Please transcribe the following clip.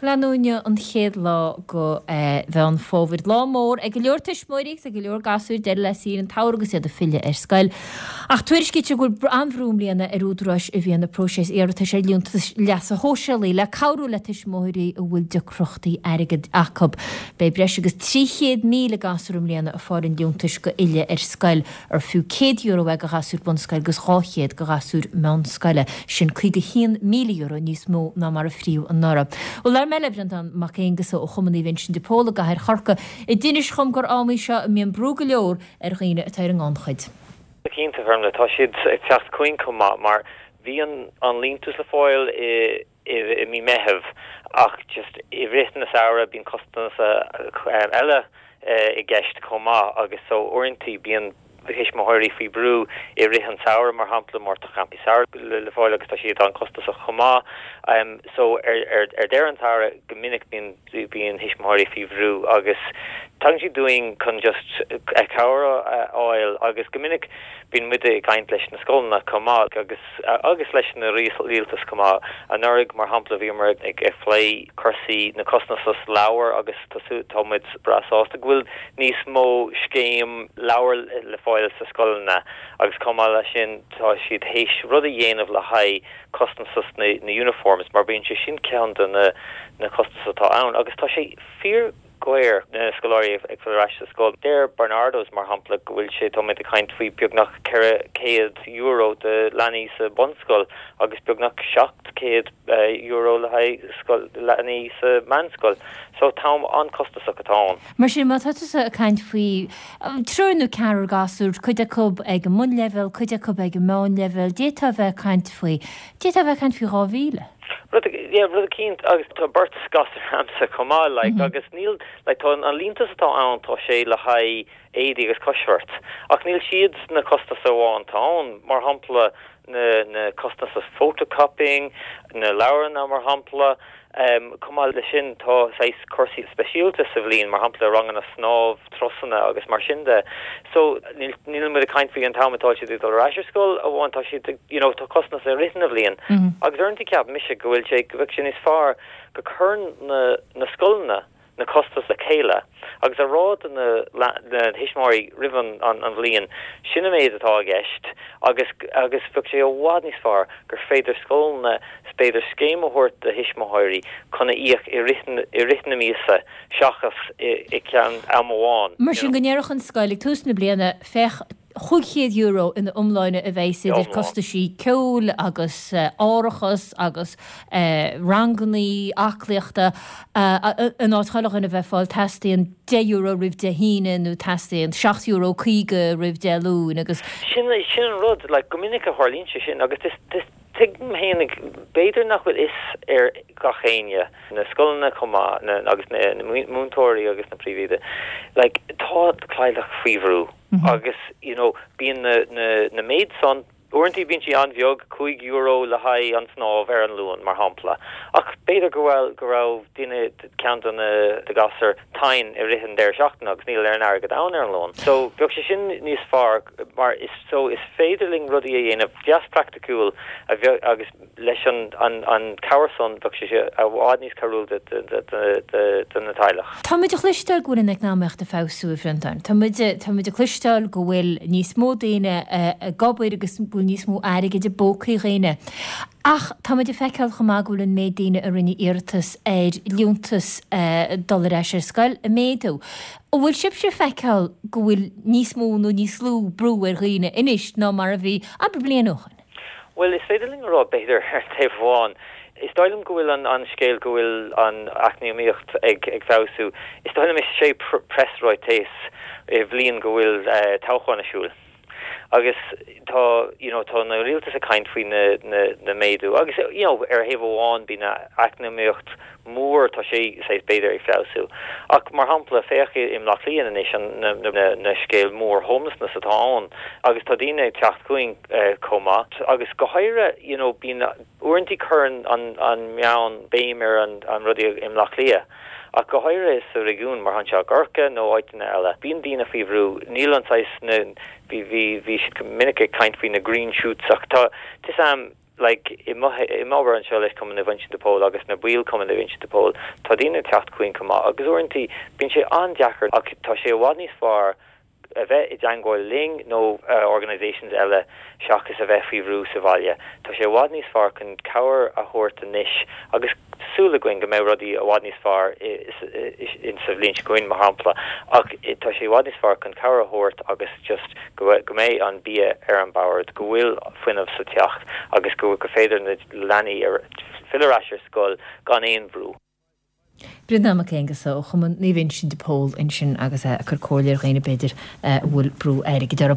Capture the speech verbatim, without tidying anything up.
Inniu an chéad lá de Mheán Fómhair. Lá mór ag go leor tuismitheoirí agus ag go leor gasúir deireadh le saoire an tsamhraidh agus iad ag filleadh ar scoil. Ach tuairiscítear go bhfuil an-bhrú i mbliana ar údaráis a bhíonn ag próiseas iarratais ar liúntas leasa shóisialaigh le cabhrú le tuismitheoirí a bhfuil deacrachtaí airgid acu. Beidh breis agus trí chéad míle gasúr i mbliana ag fáil an liúntais do fhilleadh ar scoil ar fiú céad euro é do ghasúr bunscoile agus dhá chéad do ghasúr meánscoile. Sin caoga haon míle euro níos mó ná mar a fríodh anuraidh. Bhuel, labhair mé le Breandán Mac Aonghusa ó Chumann Naomh Uinseann de Pól i gcathair Chorcaí a d'inis dhom gur am í seo a mbíonn brú go leor ar dhaoine atá ar an ngannchuid. Cinnte, Fermla, tá siad ag teacht chugainn chomh maith mar bhí an an liúntas le fáil i i mí Meitheamh ach just i rith na samhradh bíonn costas eile i gceist chomh maith agus so uaireanta bíonn tuismitheoirí faoi brú i rith an samhradh mar shampla mar tá campaí samhraidh le fáil agus tá siad an-chostasach chomh maith. Um, so ar, ar, ar deireadh an tsamhraidh go minic bíonn bíonn tuismitheoirí faoi bhrú agus tagann siad chugainn chun just cabhair a fháil agus go minic bíonn muid ag caint leis na scoileanna chomh maith agus agus leis na rialtas chomh maith. Anuraidh mar shampla bhíomar ag ag plé cúrsaí na costas leabhar agus tá muid breá sásta go bhfuil níos mó scéim leabhar le fáil sa scoileanna agus chomh maith leis sin tá siad théis rud a dhéanamh le haghaidh costas na, na uniforms mar bíonn sé sin ceann de na, na costas atá ann agus tá sé fíordhaor na scoláirí ag fáil ar ais sa scoil. Deir Barnardos mar shampla go bhfuil sé tá ag caint faoi beagnach ceithre chéad euro de leanaí sa bunscoil agus beagnach seacht céad euro le haghaidh leanaí sa meánscoil. So tá an-chostasach atá ann. Mar sin má tá tusa ag caint faoi triúr nó ceathrar gasúr, cuid acu ag an mbunleibhéal, cuid acu ag an meánleibhéal, d'fhéadfá a bheith ag caint faoi, d'fhéadfá a bheith ag caint faoi dhá mhíle. Rud yeah, rud cinnte agus tá beirt gasúr agamsa chomh maith like, mm -hmm. agus níl like, tá an liúntas atá ann tá sé le haghaidh éadaí agus coisbheart. Ach níl siad na costas amháin tá ann mar shampla na, na costas photocopying, na leabharna mar shampla, Um, chomh maith leis sin tá saghas cúrsaí speisialta sa bhliain mar shampla ranganna snámh turasanna agus mar sin de. So níl muid ag caint faoi an t-am atá siad dul ar ais ar scoil amháin tá siad you know, tá costas i rith na bliana. Mm -hmm. Agus uaireanta ceapaim mise go bhfuil sé go bhfuil sé níos fearr go cuireann na, na scoileanna na costas le chéile agus a rá do na, na tuismitheoirí roimh an, an, an bhliain sin an méid atá i gceist agus agus bheadh sé i bhfad níos fearr gur féidir scoileanna b'fhéidir scéim a thabhairt do thuismitheoirí chun a íoc i rith na míosa seachas i, i ceann am amháin. Mar sin go ndéarfadh an scoil ag tús na bliana féach chúig chéad euro ina iomláine a bheidh idir costaisí ceoil agus uh, árachas agus uh, rangannaí aclaíochta uh, in áit chuile dhuine bheith fáil teastaíonn deich euro roimh Dé hAoine nó teastaíonn seacht euro caoga roimh Dé Luain agus sin sin an rud like, go minic a tharlaíonn sé sin agus tuigim féinig b'fhéidir nach bhfuil fhios ar gach éinne na scoileanna chomh maith agus na, na múinteoirí agus na príomhoidí like tá teaghlach faoi bhrú mm -hmm. agus you know bíonn na, na, na méid san uaireanta bíonn sí an-bheag cúig euro le haghaidh an snámh ar an Luan mar shampla ach b'fhéidir go bhfuil go raibh duine ceann de na de gasúir tinn i rith an deireadh seachtaine agus níl aon airgead ann ar an Luan. So bheadh sé sin níos fearr mar is so is féidir linn rudaí a dhéanamh deas praiticiúil a bheith agus leis an an an cabhair san bheadh sé i bhfad níos cabhrúil de na teaghlach. Tá muid ag cloisteáil go bhfuil an eacnamaíocht ag feabhsú a Bhreandáin. Tá muid tá muid ag cloisteáil go bhfuil níos mó daoine ag obair agus bhfuil níos mó airgid i bpócaí dhaoine. Ach tá muid ag feiceáil chomh maith go bhfuil an méid daoine a rinne iarratas ar liúntas dul ar ais ar scoil ag méadú. An bhfuil sibhse ag feiceáil go bhfuil níos mó nó níos lú brú ar dhaoine anois ná mar a bhí abair bliain ó shin. Well is féidir linn rá b'fhéidir ar taobh amháin. Is dóigh liom go bhfuil an, an scéal go bhfuil an eacnamaíocht ag ag feabhsú. Is dóigh liom is sé preasráiteas i bhliain go bhfuil uh, toghchán ar siúl. Agus tá you know, tá na rialtas ag caint faoi na, na, na méadú agus you know, ar thaobh amháin bíonn eacnamaíocht mór tá sé sé b'fhéidir ag feabhsú. Ach mar shampla féach i mBleá Cliath anois an na, na, na scéal mór homelessness atá ann agus tá daoine ag teacht chugainn uh, chomh maith agus go háirithe you know, bíonn uaireanta cuireann an, an meán béim ar an, an rudaí i mBleá Cliath. Ach go háirithe sa réigiún mar anseo i gCorcaigh nó áiteanna eile. Bíonn daoine faoi bhrú níl an saghas na bhí bhí bhí siad minic ag caint faoi na green shoots ach tá tis am like i m'obair anseo leis Cumann Naomh Uinseann de Pól agus na baill Cumann Naomh Uinseann de Pól, tá daoine ag teacht chugainn chomh maith agus uaireanta bíonn sé an-deacair ach tá sé i bhfad níos fearr a bheith i dteagmháil linn nó organisations eile seachas a bheith faoi bhrú sa bhaile. Tá sé i bhfad níos fearr chun cabhair a thabhairt anois agus súil againn go mbeidh rudaí i bhfad níos fearr in sa bhliain seo chugainn mar shampla ach tá sé i bhfad níos fearr chun cabhair a thabhairt agus just go go mbeidh an bia ar an bord, go bhfuil fuinneamh sa teach agus go go féidir na leanaí filleadh ar ais ar scoil gan aon bhrú. Breandán Mac Aonghusa ó Chumann Naomh Uinseann de Pól ansin agus é ag cur comhairle ar dhaoine b'fhéidir a bhfuil brú airgid orthu.